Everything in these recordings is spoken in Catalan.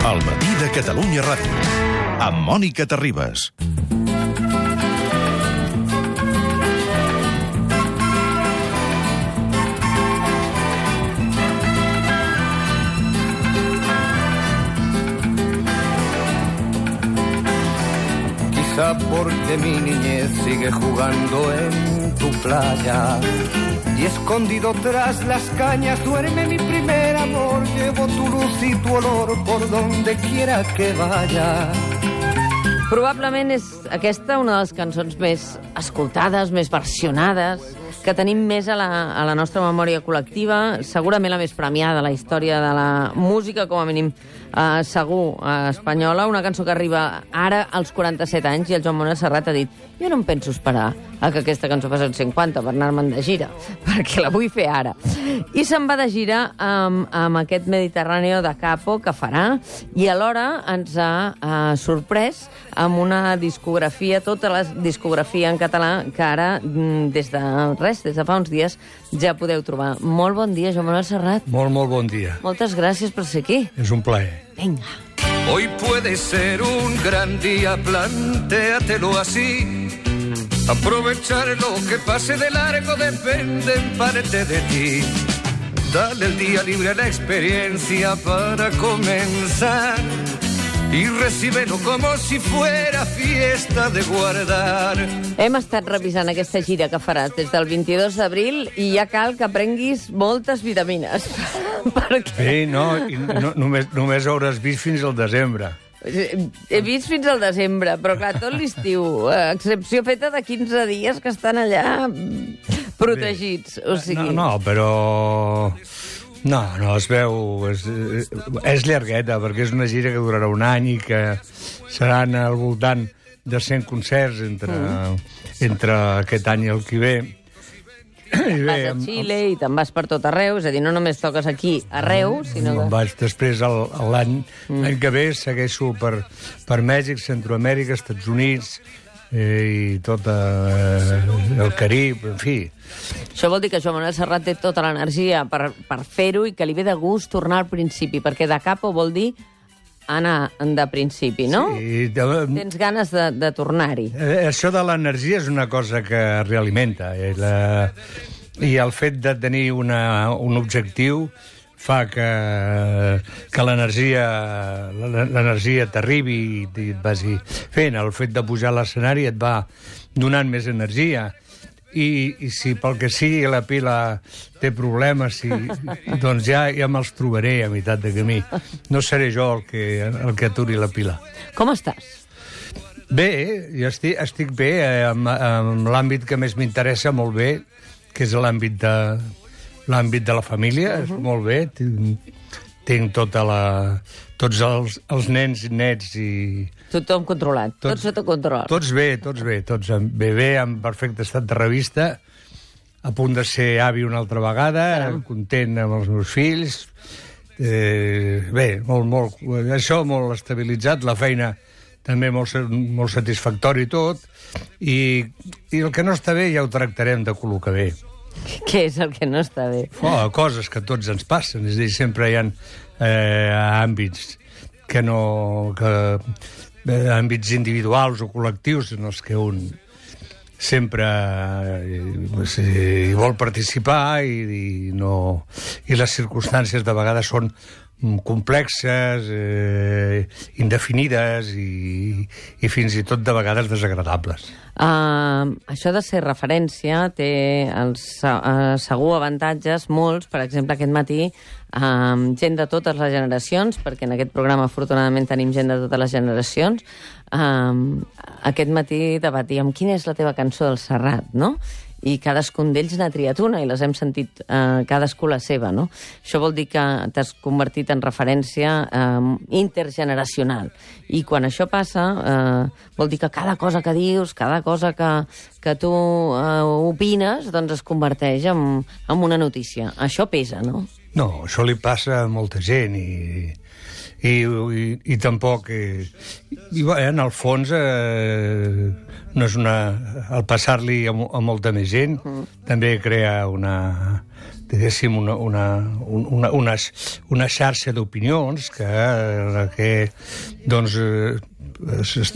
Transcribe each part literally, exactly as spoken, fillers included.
El matí de Catalunya Ràdio, amb Mònica Terribas. Quizá porque mi niñez sigue jugando en tu playa y escondido tras las cañas duerme mi primer amor. Llevo tu luz i tu olor por donde quiera que vaya. Probablement és aquesta una de les cançons més escoltades, més versionades, que tenim més a la, a la nostra memòria col·lectiva, segurament la més premiada a la història de la música, com a mínim eh, segur, eh, espanyola, una cançó que arriba ara als quaranta-set anys, i el Joan Manuel Serrat ha dit: jo no em penso esperar a que aquesta cançó faci els cinquanta per anar-me'n de gira, perquè la vull fer ara. I se'n va de gira amb, amb aquest Mediterráneo da Capo que farà, i alhora ens ha eh, sorprès amb una discografia, tota la discografia en català, que ara, des de res, des de fa uns dies, ja podeu trobar. Molt bon dia, Joan Manuel Serrat. Molt, molt bon dia. Moltes gràcies per ser aquí. És un plaer. Vinga. Hoy puede ser un gran día, plantéatelo así. Aprovechar lo que pase de largo depende en parte de ti. Dale el día libre a la experiencia para comenzar y recíbelo como si fuera fiesta de guardar. Hem estat revisant aquesta gira que faràs des del vint-i-dos d'abril i ja cal que prenguis moltes vitamines. Perquè... Bé, no, i no només, només hauràs vist fins al desembre. He vist fins al desembre, però clar, tot l'estiu, a excepció feta de quinze dies que estan allà protegits. O sigui... No, no, però... No, no, es veu... És, és llargueta, perquè és una gira que durarà un any i que seran al voltant de cent concerts entre, mm. entre aquest any i el que ve. I bé, vas a Xile i te'n vas per tot arreu, és a dir, no només toques aquí arreu, sinó que... Em vaig després l'any mm. que ve, segueixo per, per Mèxic, Centroamèrica, Estats Units eh, i tot eh, el Carib, en fi. Això vol dir que Joan Manuel Serrat té tota l'energia per, per fer-ho i que li ve de gust tornar al principi, perquè de capo vol dir anar de principi, no? Sí. De... Tens ganes de, de tornar-hi. Eh, això de l'energia és una cosa que realimenta. Eh? La... I el fet de tenir una, un objectiu fa que, que l'energia l'energia t'arribi i et vagi fent. El fet de pujar a l'escenari et va donant més energia. I, i si pel que sigui la pila té problemes, si, doncs ja, ja me'ls trobaré a meitat de camí. No seré jo el que, el que aturi la pila. Com estàs? Bé, jo estic, estic bé, eh, amb, amb l'àmbit que més m'interessa molt bé, que és l'àmbit de, l'àmbit de la família, uh-huh. molt bé. Tinc, tinc tota la, tots els, els nens i nets i... Tothom controlat, tots, tot sota control. Tots bé, tots bé, tots bé, bé, en perfecte estat de revista, a punt de ser avi una altra vegada, Caram. content amb els meus fills. Eh, bé, molt, molt, això molt estabilitzat, la feina també molt, molt satisfactori i tot, i, i el que no està bé ja ho tractarem de col·locar bé. Què és el que no està bé? Oh, coses que a tots ens passen, és a dir, sempre hi ha eh, àmbits que no... que àmbits individuals o col·lectius en els que un sempre eh, hi vol participar i, i, no, i les circumstàncies de vegades són complexes, eh, indefinides i, i fins i tot de vegades desagradables. Uh, això de ser referència té els uh, segur avantatges, molts. Per exemple, aquest matí uh, gent de totes les generacions, perquè en aquest programa afortunadament tenim gent de totes les generacions, uh, aquest matí debatíem quina és la teva cançó del Serrat, no? I cadascun d'ells n'ha triat una i les hem sentit eh, cadascú la seva, no? Això vol dir que t'has convertit en referència eh, intergeneracional. I quan això passa, eh, vol dir que cada cosa que dius, cada cosa que, que tu eh, opines, doncs es converteix en, en una notícia. Això pesa, no? No, això li passa a molta gent i, I, i, i tampoc... I, i bé, en el fons, eh, no és una... El passar-li a, a molta més gent mm. també crea una... diguéssim, una, una, una, una, una xarxa d'opinions que, que doncs,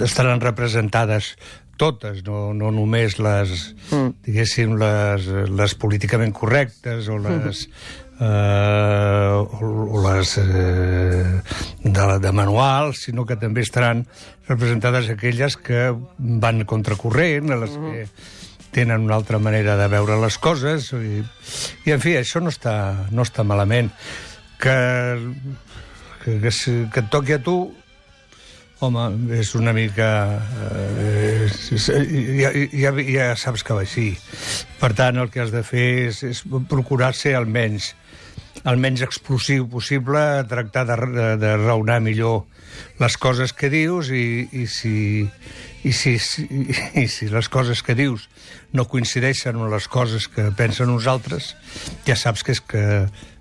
estaran representades totes, no, no només les, mm. diguéssim, les, les políticament correctes o les... Mm. Eh, o, o les eh, de, de manual, sinó que també estaran representades aquelles que van contracorrent, a les mm. que tenen una altra manera de veure les coses, i, i en fi, això no està, no està malament. Que, que, que, que et toqui a tu, home, és una mica... Eh, ja, ja, ja saps que va així. Per tant, el que has de fer és, és procurar ser almenys, el menys explosiu possible, tractar de, de, de raonar millor les coses que dius, i, i, si, i, si, i, i si les coses que dius no coincideixen amb les coses que pensen nosaltres, ja saps que és que...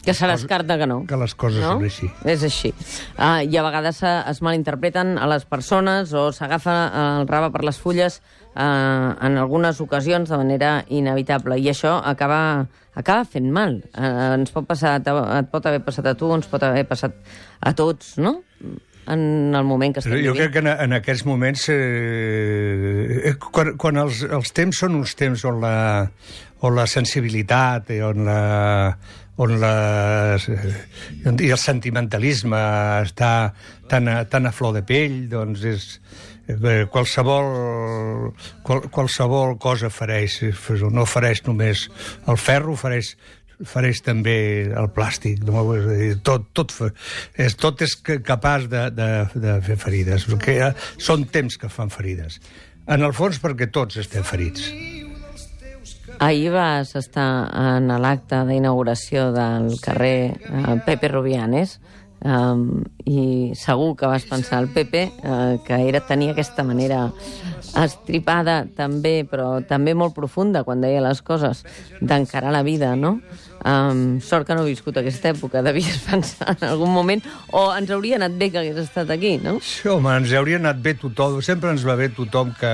Que se descarta que no. Que les coses no? són així. És així. Uh, I a vegades es malinterpreten a les persones o s'agafa el rave per les fulles uh, en algunes ocasions de manera inevitable. I això acaba, acaba fent mal. Uh, ens pot passar, et pot haver passat a tu, ens pot haver passat a tots, no? En el moment que estem vivint. Jo crec que en, en aquests moments, eh, quan, quan els, els temps són uns temps on la, on la sensibilitat i on la, on la, i el sentimentalisme està tan a, tan a flor de pell, doncs és, eh, qualsevol, qual, qualsevol cosa fareix, no fareix només el ferro, fareix fareix també el plàstic, no? tot, tot, és, tot és capaç de, de, de fer ferides, perquè són temps que fan ferides. En el fons perquè tots estem ferits. Ahir vas estar en l'acte d'inauguració del carrer uh, Pepe Rubianes, um, i segur que vas pensar al Pepe uh, que era tenia aquesta manera estripada també, però també molt profunda quan deia les coses, d'encarar la vida, no? Um, sort que no he viscut aquesta època, devies pensar en algun moment, o ens hauria anat bé que hagués estat aquí, no? Sí, home, ens hauria anat bé tothom, sempre ens va bé tothom que...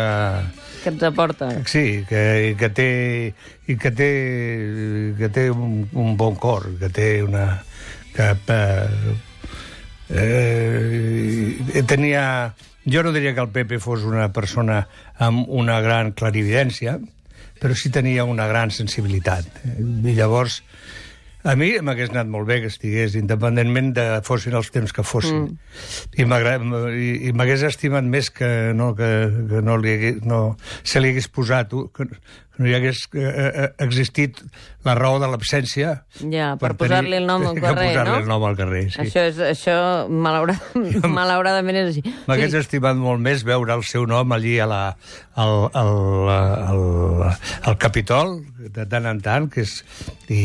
Que ens aporta. Sí, que, que té, i que té, que té un, un bon cor, que té una... Que, eh, tenia... Jo no diria que el Pepe fos una persona amb una gran clarividència, però sí tenia una gran sensibilitat. I llavors, a mi m'hagués anat molt bé que estigués, independentment de fossin els temps que fossin. Mm. I, i m'hagués estimat més que no, que, que no, li hagués, no se li hagués posat, que no hi hagués eh, existit la raó de l'absència. Ja, per, per posar-li el nom al carrer, no? Per posar-li el nom al carrer, sí. Això, és, això malauradament, malauradament és així. M'hagués sí. estimat molt més veure el seu nom allí a la, al, al, al, al Capitol, de tant en tant, que és, i,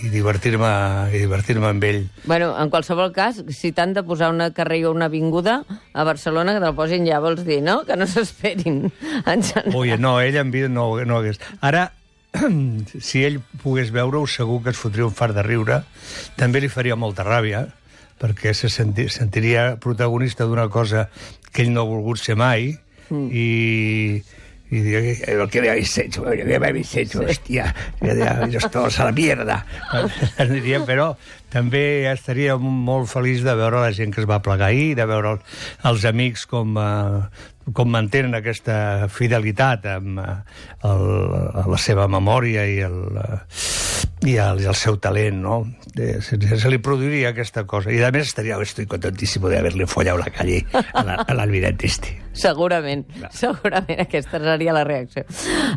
i divertir-me i divertir-me amb ell. Bueno, en qualsevol cas, si t'han de posar una carrer o una avinguda a Barcelona, que te'l posin ja, vols dir, no? Que no s'esperin. Ui, no, ell en vida no, no hagués... Ara, si ell pogués veure-ho, segur que es fotria un fart de riure. També li faria molta ràbia, perquè se senti, sentiria protagonista d'una cosa que ell no ha volgut ser mai, mm. i... y digo, lo que me habéis hecho, lo que me habéis hecho, hòstia, ellos todos a la mierda. Diria, però també estaria molt feliç de veure la gent que es va plegar ahir, de veure els amics com, uh, com mantenen aquesta fidelitat amb uh, el, la seva memòria i el, uh, i el, i el seu talent, no? De, se, se li produiria aquesta cosa. I a més estaria, estoy contentísimo de haberle follado la calle a l'almirante este. Segurament, no. segurament aquesta seria la reacció.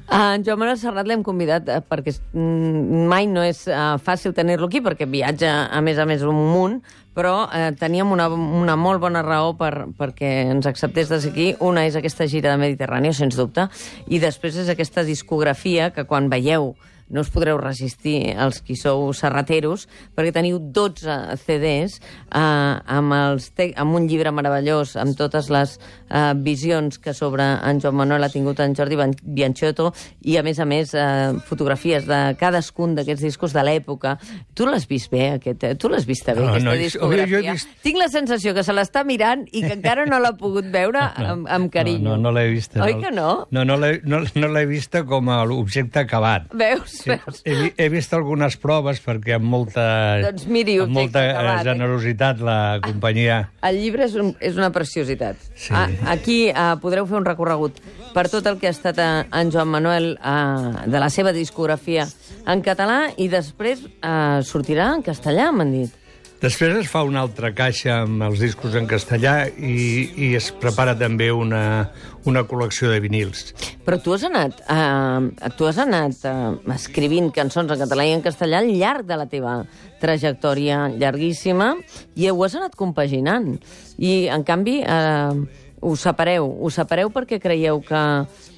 Uh, en Joan Manuel Serrat l'hem convidat uh, perquè mm, mai no és uh, fàcil tenir-lo aquí, perquè viatja a més a més un munt, però uh, teníem una, una molt bona raó per, perquè ens acceptés de ser aquí. Una és aquesta gira de Mediterrani, sens dubte, i després és aquesta discografia que quan veieu no us podreu resistir, els qui sou serrateros, perquè teniu dotze ce des eh, amb, els te amb un llibre meravellós, amb totes les eh, visions que sobre en Joan Manuel ha tingut en Jordi Bianciotto, i a més a més eh, fotografies de cadascun d'aquests discos de l'època. Tu l'has vist bé, aquest, tu l'has vista bé, no, aquesta no, discografia? Jo, jo he vist... Tinc la sensació que se l'està mirant i que encara no l'ha pogut veure amb, amb carinyo. No, no, no l'he vista. Oi que no? No, no l'he no, no l'he vista com a l'objecte acabat. Veus? Veus? He, he vist algunes proves perquè amb molta, doncs miri, amb molta acabat, generositat la companyia... El llibre és, un, és una preciositat. Sí. Ah, aquí uh, podreu fer un recorregut per tot el que ha estat uh, en Joan Manuel uh, de la seva discografia en català i després uh, sortirà en castellà, m'han dit. Després es fa una altra caixa amb els discos en castellà i, i es prepara també una, una col·lecció de vinils. Però tu has anat, eh, tu has anat eh, escrivint cançons en català i en castellà al llarg de la teva trajectòria llarguíssima i ho has anat compaginant. I, en canvi, eh, ho separeu. Ho separeu perquè creieu que,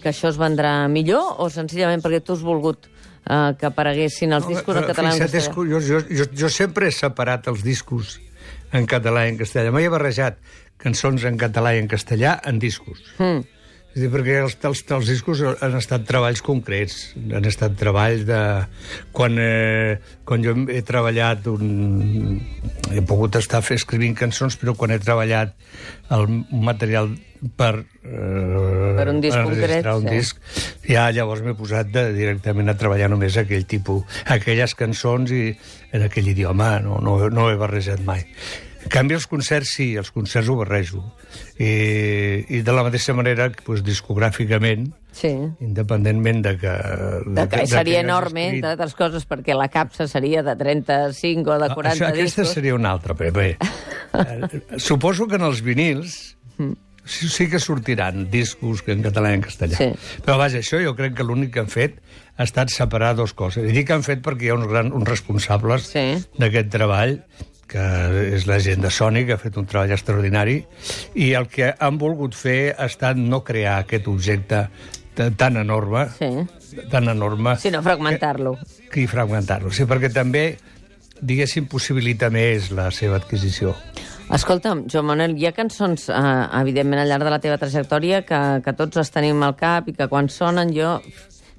que això es vendrà millor o senzillament perquè tu has volgut Uh, que apareguessin els discos en català i en castellà? Jo, jo, jo, jo sempre he separat els discos en català i en castellà. Mai he barrejat cançons en català i en castellà en discos. Mm. És a dir, perquè els, els, els discos han estat treballs concrets, han estat treballs de... Quan, eh, quan jo he treballat un... He pogut estar escrivint cançons, però quan he treballat el material per... Eh, per un disc per concret, un sí. disc, ja llavors m'he posat de, directament a treballar només aquell tipus, aquelles cançons i en aquell idioma, no, no, no he barrejat mai. En canvi, els concerts sí, els concerts ho barrejo. I, i de la mateixa manera, doncs, discogràficament, sí. Independentment de que... De que de, seria de que enorme, escrit... entre altres coses, perquè la capsa seria de trenta-cinc o de quaranta Això, aquesta discos. Seria una altra, però bé. Suposo que en els vinils... Mm. Sí, sí que sortiran discos en català i en castellà. Sí. Però vaja, això jo crec que l'únic que han fet ha estat separar dues coses. I dic que han fet perquè hi ha uns, gran, uns responsables sí. d'aquest treball, que és la gent de Sony, que ha fet un treball extraordinari, i el que han volgut fer ha estat no crear aquest objecte tan enorme, sí. tan enorme... Sinó fragmentar-lo. Que, I fragmentar-lo, sí, perquè també, diguéssim, possibilita més la seva adquisició. Escolta'm, Joan Manuel, hi ha cançons, eh, evidentment, al llarg de la teva trajectòria que, que tots les tenim al cap i que quan sonen jo,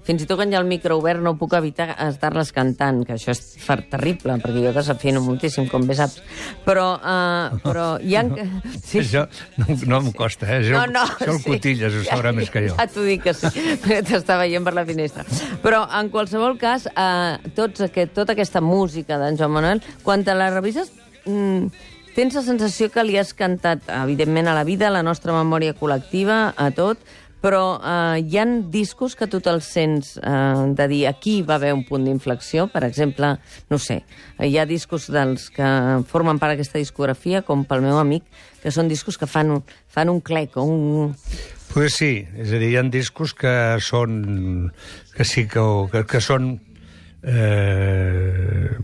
fins i tot quan hi ha el micro obert, no puc evitar estar-les cantant, que això és terrible, perquè jo desafino moltíssim, com bé saps. Però, eh, però hi ha... Sí. Això no, no em costa, eh? Això, no, no, això el sí. Cotilles ho sabrà ja, més que jo. Ja t'ho dic que sí, perquè t'està veient per la finestra. Però, en qualsevol cas, eh, tots aquest, tota aquesta música d'en Joan Manuel, quan te la revises... Mm, tens la sensació que li has cantat, evidentment, a la vida, a la nostra memòria col·lectiva, a tot, però eh, hi ha discos que tu te'ls sents eh, de dir aquí va haver un punt d'inflexió, per exemple, no sé, hi ha discos dels que formen part d'aquesta discografia, com pel meu amic, que són discos que fan un, fan un clec o un... Pues sí, és a dir, hi ha discos que són... que sí que, que, que són... Eh,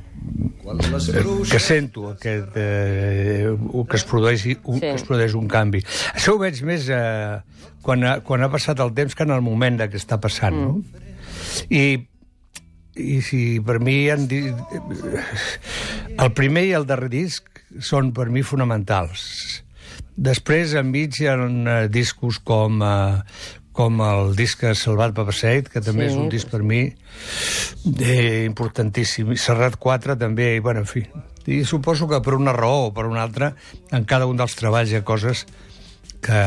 que sento aquest, eh, que, es produeix un, sí. que es produeix un canvi. Això ho veig més eh, quan, ha, quan ha passat el temps que en el moment que està passant, mm. no? I, i si per mi han dit, el primer i el darrer disc són per mi fonamentals. Després enmig hi ha uh, discos com... Uh, com el disc Salvat per Passeig, que també sí. és un disc per mi eh, importantíssim. I Serrat quatre també, i, bueno, en fi. I suposo que per una raó o per una altra, en cada un dels treballs hi ha coses que,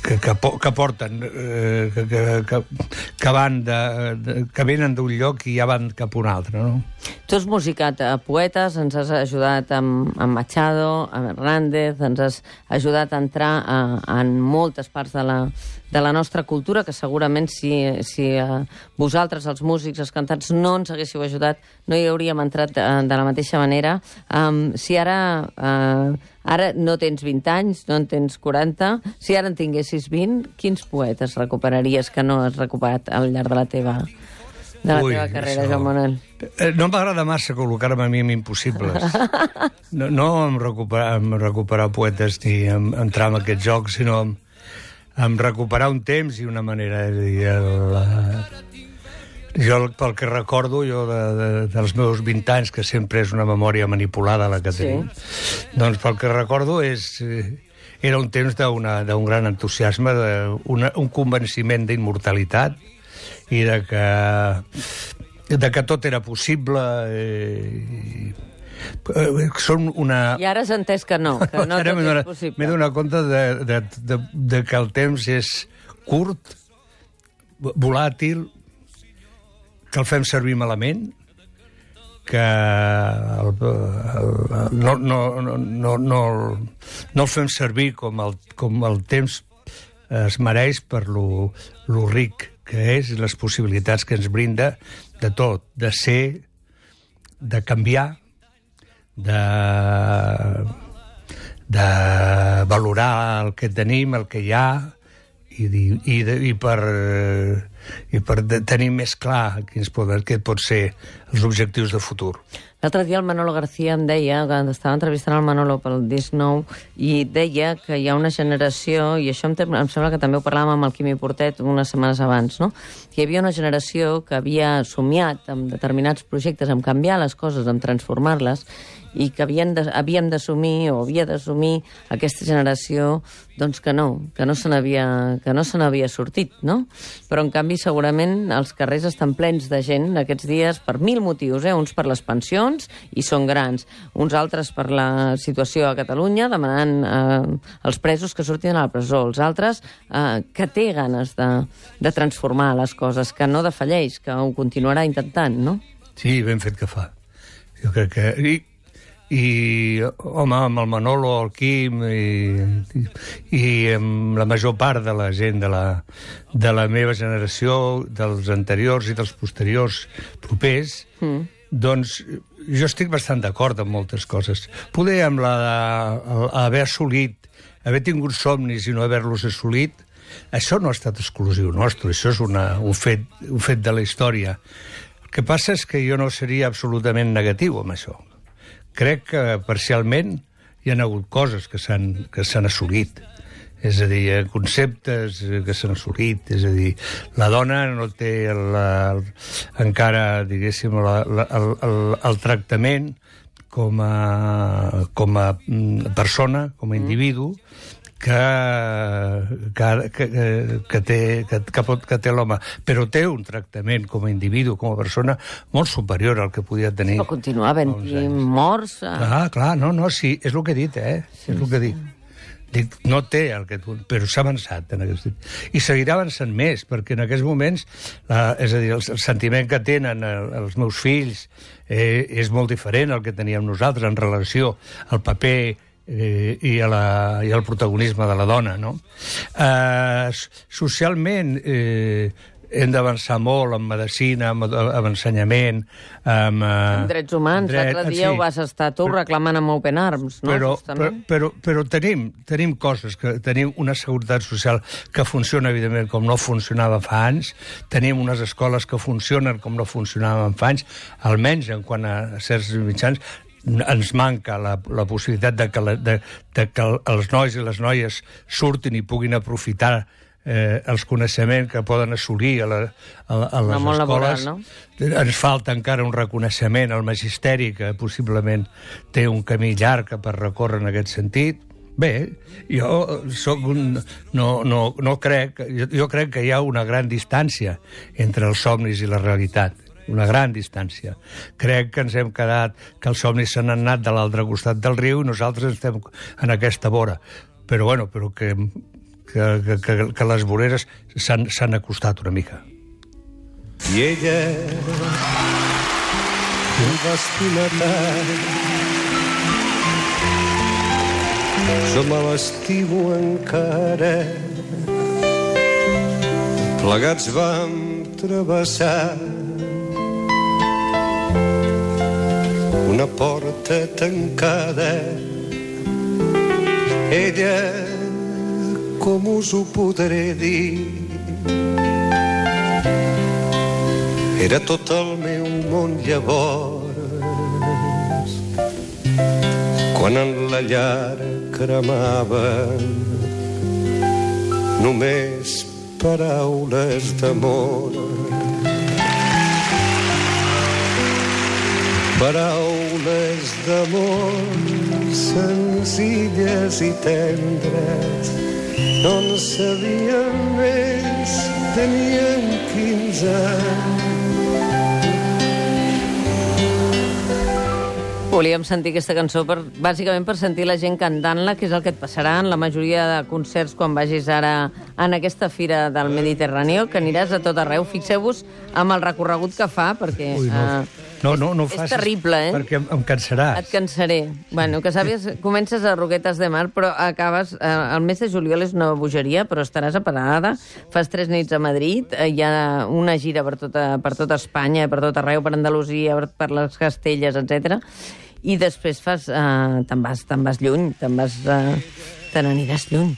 que, que, que porten, eh, que, que, que, van de, de, que venen d'un lloc i ja van cap a un altre, no? Tu has musicat a poetes, ens has ajudat amb, amb Machado, amb Hernández, ens has ajudat a entrar a, a, en moltes parts de la, de la nostra cultura, que segurament si, si uh, vosaltres, els músics, els cantants, no ens haguéssiu ajudat, no hi hauríem entrat de, de la mateixa manera. Um, si ara... Uh, Ara no tens vint anys, no en tens quaranta. Si ara en tinguessis vint, quins poetes recuperaries que no has recuperat al llarg de la teva, de la Ui, teva carrera, això... Joan Manuel? No m'agrada massa col·locar-me a mi en impossibles. No, no em recuperar, em recuperar poetes ni em, entrar en aquest joc, sinó em, em recuperar un temps i una manera de dir... El, Jo, pel que recordo, jo de, de, dels meus vint anys, que sempre és una memòria manipulada la que tenim, sí. Doncs pel que recordo és... Era un temps d'un gran entusiasme, una, un convenciment d'immortalitat i de que, de que tot era possible. Eh, són una... I ara has entès que no, que no tot és possible. M'he donat compte de, de, de, de que el temps és curt, volàtil, que el fem servir malament, que el, el, no, no, no, no, no, no el fem servir com el, com el temps es mereix per lo, lo ric que és i les possibilitats que ens brinda de tot, de ser, de canviar, de, de valorar el que tenim, el que hi ha, i, i, de, i per, i per tenir més clar quins poden, què pot ser els objectius de futur. L'altre dia el Manolo García em deia, que estava entrevistant el Manolo pel disc nou, i deia que hi ha una generació, i això em, em sembla que també ho parlàvem amb el Quimi Portet unes setmanes abans, no? Que hi havia una generació que havia somiat amb determinats projectes, en canviar les coses, en transformar-les, i que havien de, havíem d'assumir, o havia d'assumir aquesta generació, doncs que no, que no se n'havia que no se n'havia sortit, no? Però, en canvi, segurament els carrers estan plens de gent aquests dies per mil motius, eh? Uns per les pensions, i són grans, uns altres per la situació a Catalunya, demanant eh, els presos que surtin a la presó, els altres eh, que té ganes de, de transformar les coses, que no defalleix, que ho continuarà intentant, no? Sí, ben fet que fa. Jo crec que... I... I, home, amb el Manolo, el Quim i, i, i amb la major part de la gent de la, de la meva generació, dels anteriors i dels posteriors propers, mm. doncs jo estic bastant d'acord amb moltes coses. Poder amb la haver assolit, haver tingut somnis i no haver-los assolit, això no ha estat exclusiu nostre, això és una, un, fet, un fet de la història. El que passa és que jo no seria absolutament negatiu amb això. Crec que parcialment hi ha hagut coses que s'han que s'han assolit. És a dir, conceptes que s'han assolit. És a dir, la dona no té el, el, encara, diguéssim, la, la, el, el, el tractament com a, com a persona, com a individu, que, que, que, que té, que, que, pot, que té l'home, però té un tractament com a individu, com a persona, molt superior al que podia tenir. Però continua havent-hi morts. A... Ah, clar, no, no, sí, és el que he dit, eh? Sí, és el que he dit. Dic, no té el que tu... Però s'ha avançat en aquest... I seguirà avançant més, perquè en aquests moments, la, és a dir, el, el sentiment que tenen el, els meus fills eh, és molt diferent al que teníem nosaltres en relació al paper eh, i, a la, i al protagonisme de la dona, no? Eh, socialment... Eh, hem d'avançar molt en medicina, amb, amb ensenyament, amb... Eh, amb drets humans. Dret, l'altre dia sí, ho vas estar tu però, reclamant amb Open Arms, no? Però, però, però, però tenim, tenim coses, que tenim una seguretat social que funciona, evidentment, com no funcionava fa anys, tenim unes escoles que funcionen com no funcionaven fa anys, almenys en quant a certs mitjans, ens manca la, la possibilitat de que, la, de, de que els nois i les noies surtin i puguin aprofitar Eh, els coneixements que poden assolir a, la, a, a les escoles. Laboral, no? Ens falta encara un reconeixement al magisteri, que possiblement té un camí llarg per recórrer en aquest sentit. Bé, jo soc un... No, no, no crec... Jo, jo crec que hi ha una gran distància entre els somnis i la realitat. Una gran distància. Crec que ens hem quedat... que els somnis s'han anat de l'altre costat del riu i nosaltres estem en aquesta vora. Però, bueno, però que... Que, que, que les voreres s'han acostat una mica. I ella em va estimar tant, jo me l'estimo encara. Plegats vam travessar una porta tancada. Ella, com us ho podré dir, era tot el meu món llavors, quan en la llar cremaven només paraules d'amor. paraules d'amor senzilles i tendres, no en sabien més, tenien quinze anys. Volíem sentir aquesta cançó per, bàsicament per sentir la gent cantant-la, que és el que et passarà en la majoria de concerts quan vagis ara en aquesta fira del Mediterrani, que aniràs a tot arreu. Fixeu-vos amb el recorregut que fa, perquè Ui, no. Uh, No, no, no ho és facis, terrible, eh? perquè em, em cansaràs. Et cansaré. Bueno, que sàpies, comences a Roquetes de Mar, però acabes... Eh, el mes de juliol és una bogeria, però estaràs a Parada, fas tres nits a Madrid, eh, hi ha una gira per tota, per tota Espanya, per tot arreu, per Andalusia, per, per les Castelles, etcètera. I després fas... Eh, te'n vas, te'n vas lluny, te'n vas... Eh, te n'aniràs lluny.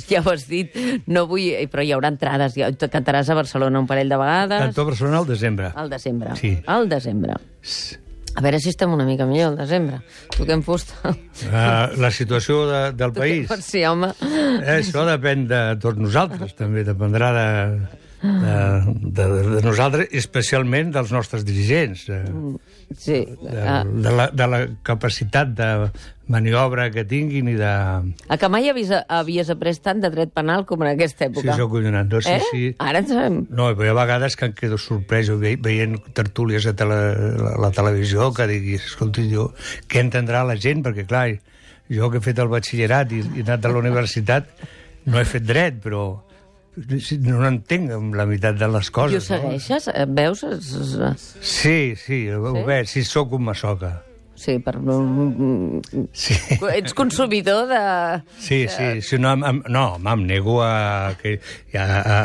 Ja ho has dit. No vull... Però hi haurà entrades. Ja, cantaràs a Barcelona un parell de vegades. Canto a Barcelona al desembre. Al desembre. Sí. Al desembre. A veure si estem una mica millor al desembre. Toquem fusta. Uh, la situació de, del país. Sí, home. Eh, això depèn de tots nosaltres, també dependrà de, de, de, de nosaltres, especialment dels nostres dirigents. Sí. De, de, la, de la capacitat de maniobra que tinguin i de... A que mai havies, havies après tant de dret penal com en aquesta època? Sí, sóc collonat. No, sí, eh? sí. Ara en sabem. No, però hi ha vegades que em quedo sorprès ve, veient tertúlies a tele, la, la televisió que diguis, escolti, jo, què entendrà la gent? Perquè, clar, jo que he fet el batxillerat i, i he anat a la universitat, no he fet dret, però no entenc la meitat de les coses. I ho segueixes? No? Veus? Sí, sí, ho sí? veig, sí, sóc un masoca. Sí, per... Sí. Ets consumidor de... Sí, sí, sí no, em, no, em nego a, que, a, a,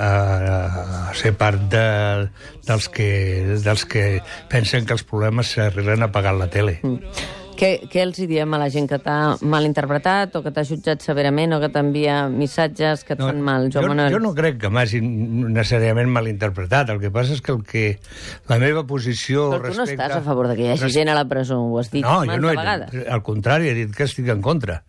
a ser part de, dels, que, dels que pensen que els problemes s'arreglen apagant la tele. Mm. Què, què els diem a la gent que t'ha malinterpretat o que t'ha jutjat severament o que t'envia missatges que et no, fan mal, jo, Joan Manuel? Jo no crec que m'hagin necessàriament malinterpretat. El que passa és que, el que la meva posició... Però tu respecte... no estàs a favor de que hi hagi res... gent a la presó, ho has dit no, manta jo no he, vegades. Al contrari, he dit que estic en contra.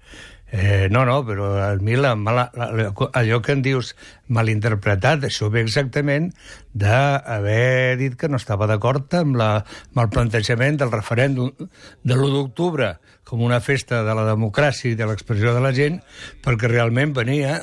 Eh, no, no, però a mi la, la, la, allò que en dius malinterpretat, això ve exactament d'haver dit que no estava d'acord amb, la, amb el plantejament del referèndum de l'u d'octubre com una festa de la democràcia i de l'expressió de la gent, perquè realment venia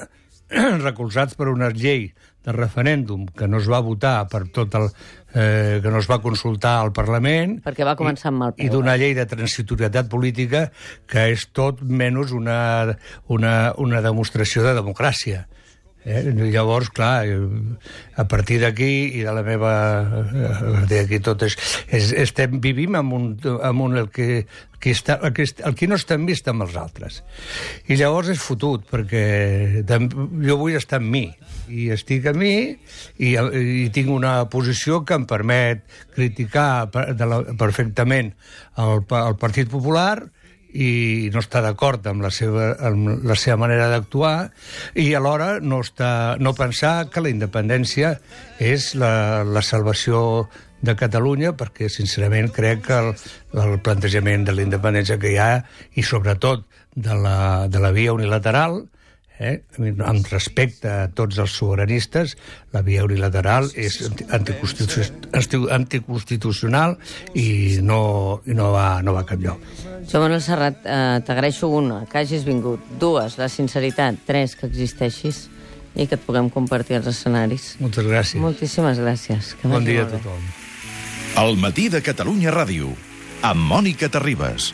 recolzats per una llei de referèndum que no es va votar per tot el... Eh, que no es va consultar al Parlament... Perquè va començar amb mal peu. I d'una llei de transitorietat política que és tot menys una, una, una demostració de democràcia. Eh? Llavors, clar, a partir d'aquí i de la meva... d'aquí tot és, és, estem, vivim amb un, amb un el que... Qui està, el, que, el qui no està en vist amb els altres. I llavors és fotut, perquè jo vull estar amb mi, i estic amb mi, i, i tinc una posició que em permet criticar de la, perfectament el, el Partit Popular, i no està d'acord amb la seva, amb la seva manera d'actuar, i alhora no, està, no pensar que la independència és la, la salvació de Catalunya, perquè sincerament crec que el, el plantejament de la independència que hi ha, i sobretot de la, de la via unilateral, eh, amb respecte a tots els sobiranistes, la via unilateral és anticonstitucional, anticonstitucional i, no, i no, va, no va cap lloc. Joan Manuel Serrat, eh, t'agraeixo una, que hagis vingut. Dues, la sinceritat. Tres, que existeixis i que et puguem compartir els escenaris. Moltes gràcies. Moltíssimes gràcies. Que bon dia a tothom. El matí de Catalunya Ràdio, amb Mònica Terribas.